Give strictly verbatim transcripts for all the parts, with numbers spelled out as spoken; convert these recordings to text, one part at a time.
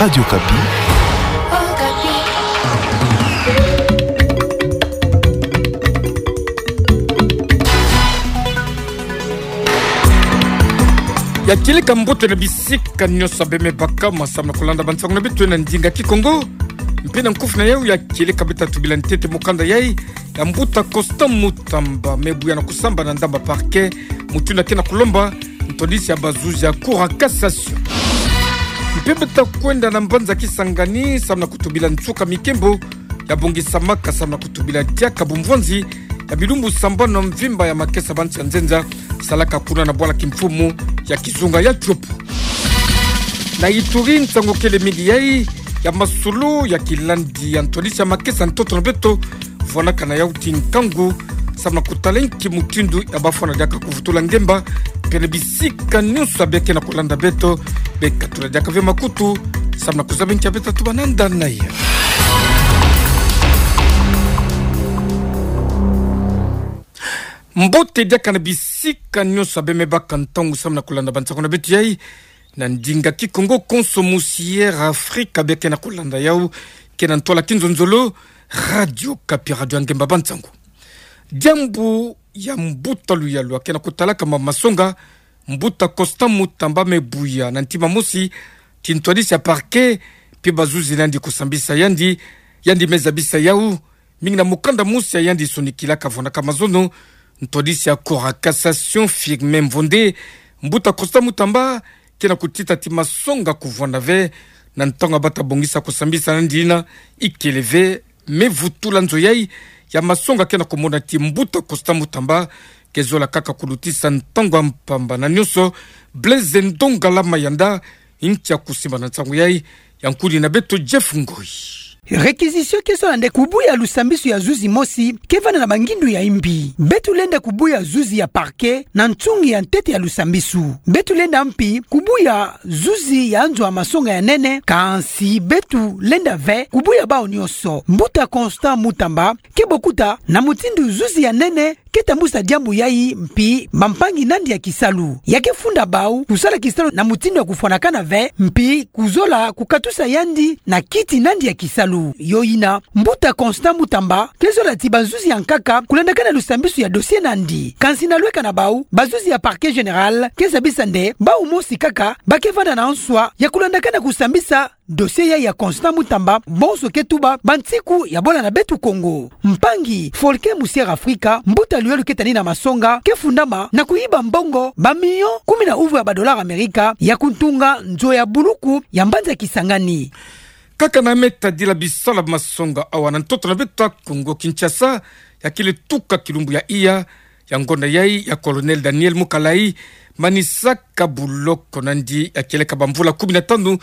Radio Okapi. Ya kieleka mbote na bisika nyonso abe me baka ma samu na kulanda bansango na beto na ndinga Kikongo. Mpe na nkufi na yau ya kieleka beta tubila ntete mukanda yai ya mbuta Constant Mutamba, me buya na kusamba na ndamba parquet, mutindu ke na kulomba ntwadisi ya bazuzi ya Cour ya Cassation. Mpe beta kwenda na mbanza Kisangani samu na kutubila nsuka mikembo ya bongisamaka samu na kutubila diaka bumvwanzi ya bilumbu sambanu na mvimba ya makesa ba nsi ya nzenza salaka kuna na bwala kimfumu ya kizunga ya Tshopo. Na Ituri, nsangu kele mingi yai ya masolo ya kilandi ya ntwadisi ya makesa ntoto na beto vwanaka na yau ti nkangu samu na kutala nki mutindu ya bafwana diaka kuvutula ngemba, mpe na bisika nyonso abe ke na kulanda beto, bekatula diaka ve makutu samu na kuzaba nki ya beta tuba na nda na ya. Mbote diaka na bisika nyonso abe me baka ntangu samu na kulanda bansango na beto yai na ndinga Kikongo. Konso musi Air Afrique abe ke na kulanda yau, ke na ntwala kinzonzolo, Radio Okapi, radio ya ngemba bansango. Diambu ya mbuta luyalu ake na kutalaka ma masonga, mbuta Constant Mutamba, me buya na ntima mosi ti ntwadisi ya parquet mpe bazuzi na yandi kusambisa yandi. Yandi me zabisa yau mingi na mukanda mosi ya yandi sonikilaka vwanaka mazono, ntwadisi ya Cour ya Cassation Firmin Mvonde. Mbuta Constant Mutamba ke na kutita ti masonga kuvwanda ve na ntangu bata bongisa kusambisa na yandi yina ikele ve. Me vutula nzo yai ya masonga ke na kumona ti mbuta Constant Mutamba ke zola kaka kulutisa ntangu ya mpamba na nyonso. Blaise Ndongala Mayanda, nki ya kusimba na nsangu yai, ya nkudi na beto Jeff Ngoi. Réquisition ke zola nde kubuya lusambisu ya zuzi mosi ke vanda na bangindu ya imbi. Beto lenda kubuya zuzi ya parquet na nsungi ya ntete ya lusambisu. Beto lenda mpi kubuya zuzi ya nzo ya masonga ya nene, kansi beto lenda ve kubuya bau nyonso. Mbuta Constant Mutamba ke bokuta na mutindu zuzi ya nene ke tambusa diambu yai mpi bampangi na yandi ya kisalu. Ya ke funda bau kusala kisalu na mutindu ya kufwanakana ve, mpi kuzola kukatusa yandi na kiti na yandi ya kisalu. Yo yina, mbuta Constant Mutamba ke zola ti bazuzi ya nkaka kulandakana lusambisu ya dossier na yandi. Kansi na lweka na bau, bazuzi ya Parquet Général ke zabisa nde bau mosi kaka ba ke vanda na nswa ya kulandakana kusambisa dossier yai ya Constant Mutamba, bonso ke tuba bansiku ya bola na beto Kongo. Mpangi Folke Musiere Afrika, mbuta luyalu ke tani na masonga, ke fundama na kuyiba mbongo ba million kumi na uvu ya ba dollars Amerika ya kutunga nzo ya buluku ya mbanza Kisangani. Kaka na me tadila bisalu ya masonga awa na ntoto na beto Kongo Kinshasa, ya kele tuka kilumbu ya iya ya ngonda yai ya Colonel Daniel Mukalayi manisaka buloko na yandi ya kieleka bamvula kumi na tanu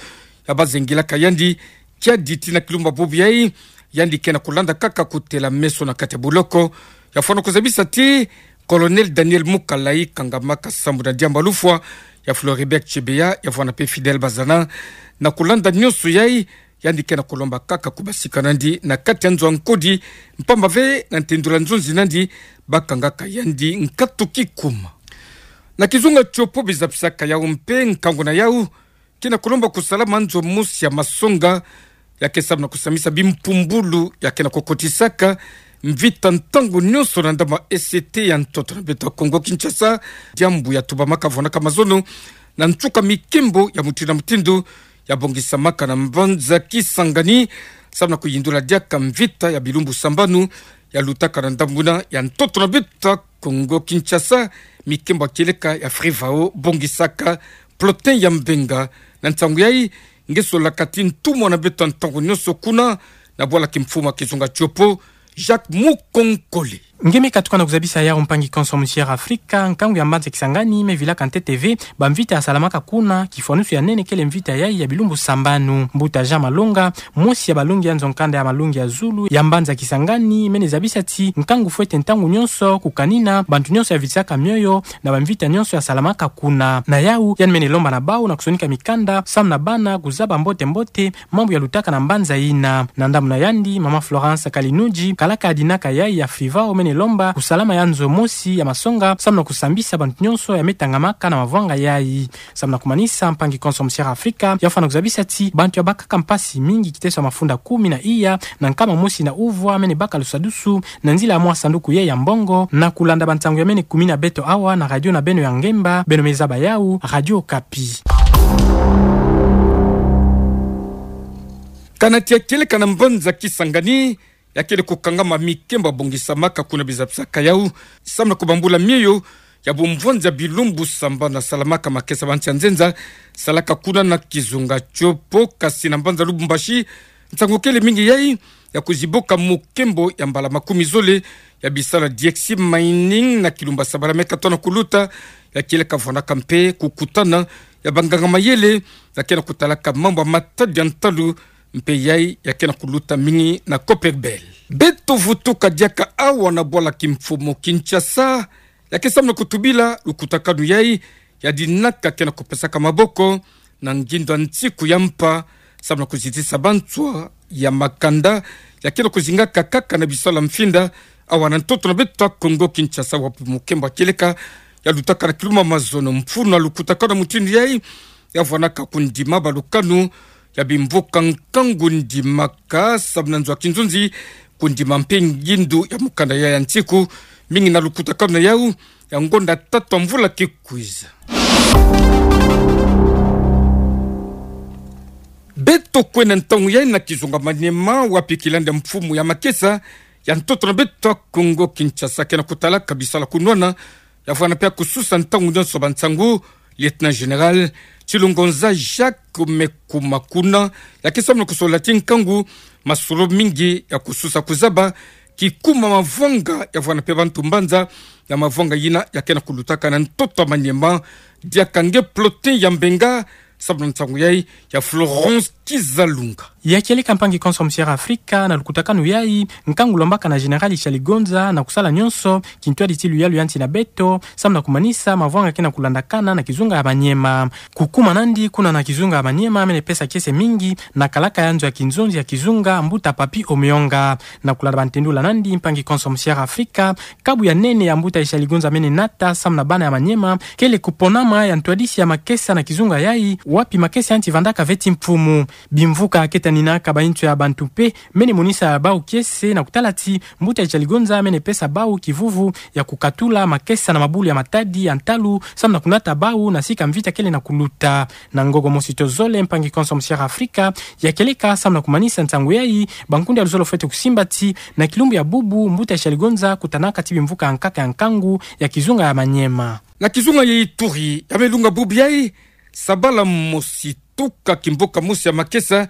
ya bazengilaka yandi. Kiadi tii na kilumbu ya bobo yai, yandi ke na kulanda kaka kutela meso na kati ya buloko. Ya fwana kuzabisa ti Colonel Daniel Mukalayi kangamaka sambu na diambu ya lufwa ya Floribert Chebeya, ya fwana mpe Fidèle Bazana. Na kulanda nyonso yai, yandi ke na kulomba kaka kubasika na yandi na kati ya nzo ya nkodi, mpamba ve na ntendula nzonzi na yandi, bakangaka yandi nkatu kikuma. Na kizunga Tshopo, bizapisaka yau mpe nkangu na yau ke na kulomba kusalama nzo mosi ya masonga ya ke sambu na kusambisa bimpumbulu ya ke na kukotisaka mvita ntangu nyonso na ndambu ya E C T ya ntoto na beto Kongo Kinshasa. Diambu ya tubamaka vwanaka mazono na nsuka mikembo ya mutindu na mutindu ya bongisamaka na mbanza Kisangani, sambu na kuyindula diaka mvita ya bilumbu sambanu ya lutaka na ndambu yina ya ntoto na beto Kongo Kinshasa, mikembo ya kieleka ya Frivao bongisaka Plotin ya Mbenga. Na nsangu yai, nge solaka ti ntumwa na beto ntangu nyonso kuna na bwala kimfumu ya kizunga Tshopo, Jacques Mukonkole. Nge me katuka na kuzabisa yau, mpangi konso Musiere Afrika, nkangu ya mbanza Kisangani me vilaka ntete ve bamvita ya salamaka kuna, kifwanusu ya nene kele mvita yai ya bilumbu sambanu. Mbuta Jean Malonga, mosi ya balongi ya nzo-nkanda ya malongi ya zulu ya mbanza Kisangani, mene zabisa ti nkangu fwete ntangu nyonso kukanina bantu nyonso ya vitisaka mioyo na bamvita nyonso ya salamaka kuna. Na yau, yandi mene lomba na bau na kusonika mikanda sambu na bana kuzaba mbote-mbote mambu ya lutaka na mbanza yina. Na ndambu na yandi, mama Florence Kalinuji, kalaka yadinaka yai ya Frivao, mene Lomba kusalama ya nzo mosi ya masonga, samu na kusambisa bantu nyonso ya metangamaka na mavwanga yai. Samu na kumanisa, mpangi konso Musière Afrika ya fwana kuzabisa ti bantu ya bakaka mpasi mingi kiteso ya mafunda kumi na iya na nkama mosi na uvwa mene baka lusadusu na nzila ya mwa sanduku yai ya mbongo, na kulanda bansangu ya mene kumi na beto awa na radio na beno ya ngemba, beno me zaba yau, Radio Okapi. Kana tia kieleka na mbanza Kisangani, ya kele kukangama mikemba bongisamaka kuna, bizabisaka yau, samu na kubambula mieyo ya bumvwanzi ya bilumbu sambana salamaka makesa ba nsi ya nzenza, salaka kuna na kizunga tio po. Kasi na mbanza Lubumbashi, nsangu kele mingi yai ya kuziboka mukembo ya mbala makumi zole ya bisala Diexi Mining na kilumba Sabala me katoa na kuluta, ya kieleka vwanaka mpe kukutana ya banganga mayele ya ke na kutalaka mambu ya matadi ya ntalu, mpe yai ya ke na kuluta mingi na Copperbelt. Beto vutuka diaka awa na bwala kimfumu Kinshasa, ya ke samu na kutubila lukutakanu yai ya dinaka ke na kupesaka maboko na ngindu ya nsiku ya mpa, samu na kuzitisa banswa ya makanda ya ke na kuzingaka kaka na bisala mfinda awa na ntoto na beto ya Kongo Kinshasa, wapi mukembo ya kieleka ya lutaka na kilumbu ya mazono. Mfunu ya lukutakanu ya mutindu yai ya vwanaka kundima balukanu ya bimvuka nkangu ndimaka samu na nzo ya kinzunzi, kundima mpe ngindu ya mukanda ya, ya nsiku, mingi na lukutakanu yau ya ngonda tatu ya mvula ke kwiza. Beto kwenda ntangu yai na kizunga Maniema, wapi kilanda mfumu ya makesa ya ntoto na beto ya Kongo Kinshasa ke na kutalaka bisala kunwana, ya vwana mpe ya kususa ntangu nyonso bansangu, Lieutenant Général Tshilongonza Jacques Mekuma, kuna ya ke samu na kusola ti nkangu masolo mingi ya kususa kuzaba kikuma mavwanga ya vwana mpe bantu mbanza na mavwanga yina ya ke na kulutaka na ntoto ya Maniema. Diaka nge Plotin ya Mbenga, samu na nsangu yai ya Florence Kizalunga. Ya kieleka, mpangi konso Musière Afrika, na lukutakanu yai, nkangu lombaka na Général Ishaligonza na kusala nyonso kintwadi ti luyalu ya nsi na beto, samu na kumanisa mavwanga ke na kulandakana na kizunga ya Maniema. Kukuma nandi kuna na kizunga ya Maniema mene pesa kiese mingi na kalaka ya nzo ya kinzunzi ya kizunga, mbuta Papy Omeonga. Na kulanda bantendula nandi, mpangi konso Musière Afrika, kabu ya nene ya mbuta Ishaligonza mene nata samu na bana ya Maniema kele kuponama ya ntwadisi ya makesa na kizunga yai, wapi makesa ya nsi vandaka veti mfumu. Bimvuka ke taninaka bainzo ya bantu mpe mene monisa bau kiese, na kutala ti mbuta Ishaligonza mene pesa bau kivuvu ya kukatula makesa na mabulu ya matadi ya ntalu, samu na kunata bau na sika mvita kele na kuluta. Na ngogo mosi to zole, mpangi konso Musière Afrika, ya kieleka samu na kumanisa nsangu yai, bankundi ya luzolo fwete kusimba ti na kilumbu ya bubu, mbuta Ishaligonza kutanaka ti bimvuka ya nkaka ya nkangu ya kizunga ya Maniema. Na kizunga ya Ituri, ya me lunga bubu yai, sabala mosi tuka kimvuka mosi ya makesa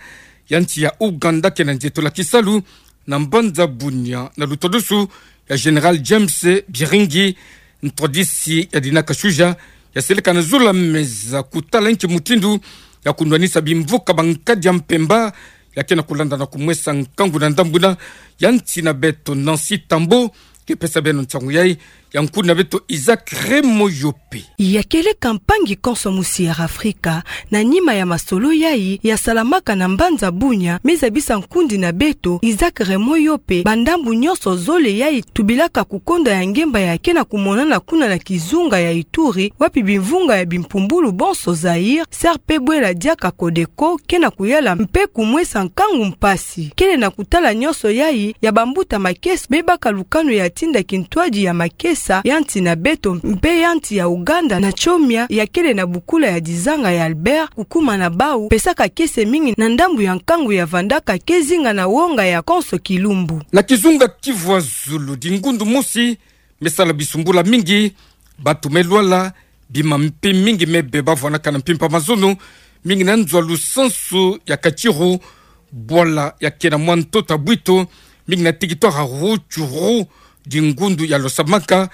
ya nsi ya Ouganda ke na nzietolo ya kisalu na mbanza Bunia, na lutwadusu ya Général James Biringi, ntwadisi ya dinaka Shuja, ya seleka na zulu ya meza kutala nki mutindu ya kunwanisa bimvuka ba nkadi ya mpemba ya ke na kulanda na kumwesa nkangu na ndambu yina ya nsi na beto. Nancy Tambo ke pesa beno nsangu yai, ya nkundi na beto Isaac Remoyope. Ya kieleka, mpangi konso Musière Afrika, na nima ya masolo yai ya salamaka na mbanza Bunia, me zabisa nkundi na beto Isaac Remoyope bandambu nyonso zole yai tubilaka kukonda ya ngemba ya ke na kumonana kuna na kizunga ya Ituri, wapi bimvunga ya bimpumbulu bonso Zaïre, S R P bwela diaka Codeco, ke na kuyala mpe kumwesa nkangu mpasi. Kele na kutala nyonso yai ya bambuta makesa me baka lukanu ya tinda kintwadi ya makesa ya nsi na beto mpe ya nsi ya Ouganda na Tchomia, ya kele na bukula ya dizanga ya Albert, kukuma na bau pesaka kiese mingi na ndambu ya nkangu ya vandaka ke zinga na wonga ya konso kilumbu. Na kizunga Kivu ya Zulu, dingundu mosi me sala bisumbula mingi, bantu me lwala, bima mpe mingi me beba, vwanaka na mpimpa mazono, mingi na nzo ya lusansu ya Katiru, bwala ya ke na mwa ntoto ya Bwito, mingi na territoire ya Rutshuru, dingundu ya Losamaka,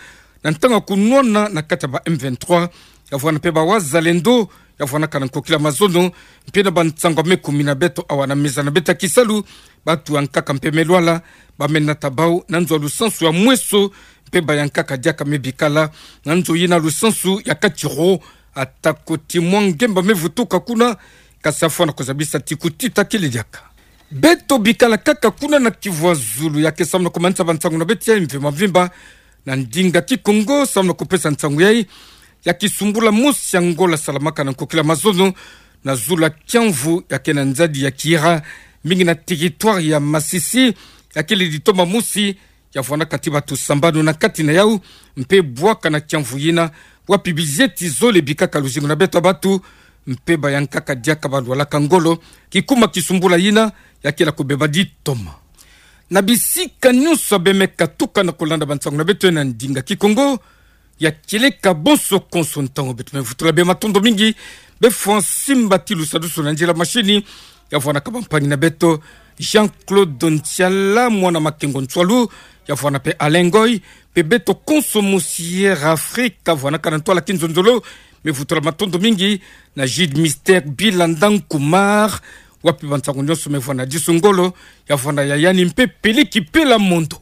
na ntangu ya kunwana na kati ya ba M vingt-trois, ya vwana mpe ba Wazalendo, ya vwanaka na nkokila mazono, mpe na bansangu ya me kumi na beto awa na meza na beto ya kisalu, bantu ya nkaka mpe me lwala, ba me nata bau na nzo ya lusansu ya Mweso, mpe ba ya nkaka diaka me bikala na nzo yina lusansu ya Katiru, atako ti mwa ngemba me vutuka kuna, kasi ya fwana kuzabisa ti kutita kele diaka. Beto bikala kaka kuna na Kivu ya Zulu, ya ke samu na komanisa bansangu na beto ya mvimba mvimba na ndinga Kikongo. Samu na kopesa nsangu yai, ya kisumbula mosi ya Ngola salamaka na nkokila mazono na zulu ya kiamvu, ya ke na nzadi ya Kira, mingi na territoire ya Masisi, ya kele ditoma mosi, ya vwanda kati batu sambanu na kati na yau, mpe bwaka na kiamvu yina, wapi bizeti zole bikaka luzingu na beto ya batu, mpe bayankaka diaka balwalaka ngolo, kikuma kisumbula yina, ya kela kobeba ditoma. Na bisika nyonso ya bemeka tuka na kolanda bansangu na beto na ndinga Kikongo, ya kieleka bonso konso ntangu beto me vutula bê matondo mingi, bê Francine Batilu sadusu na nzila mashini, ya vwanda kaba mpangi na beto, Jean-Claude Ntiala, mwana Makengo Nsualu, ya vwanda mpe Alain Ngoy, mpe beto konso mosi Air Afrique, ya vwandaka na ntwala kinzonzolo, me vutula matondo mingi, na Jude Mister Bilanda Nkumar, wapi bansangu nyonso me vwanda disu ngolo, ya vwanda ya yandi mpe peliki pela mondo.